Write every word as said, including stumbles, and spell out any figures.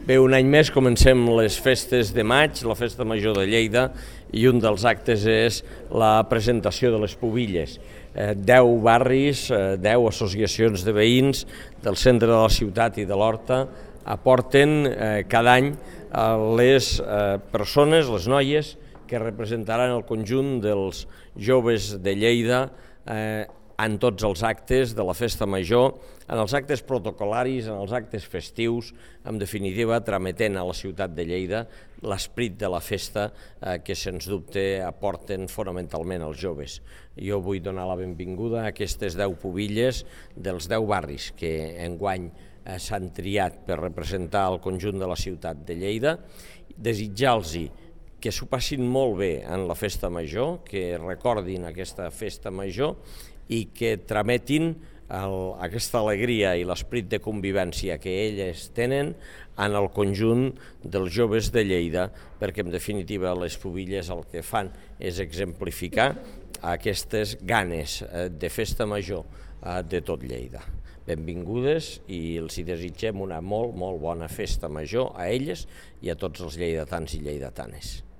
Bé, un any més comencem les festes de maig, la Festa Major de Lleida, i un dels actes és la presentació de les pubilles. Eh, deu barris, eh, deu associacions de veïns del centre de la ciutat i de l'Horta aporten eh, cada any eh, les eh, persones, les noies, que representaran el conjunt dels joves de Lleida eh, en tots els actes de la Festa Major, en els actes protocolaris, en els actes festius, en definitiva, trametent a la ciutat de Lleida l'esperit de la festa eh, que, sens dubte, aporten fonamentalment els joves. Jo vull donar la benvinguda a aquestes deu pubilles dels deu barris que enguany eh, s'han triat per representar el conjunt de la ciutat de Lleida, desitjar-los que s'ho passin molt bé en la Festa Major, que recordin aquesta Festa Major i que trametin el, aquesta alegria i l'esperit de convivència que elles tenen en el conjunt dels joves de Lleida, perquè en definitiva les pubilles el que fan és exemplificar aquestes ganes de Festa Major de tot Lleida. Benvingudes i els hi desitgem una molt, molt bona Festa Major a elles i a tots els lleidatans i lleidatanes.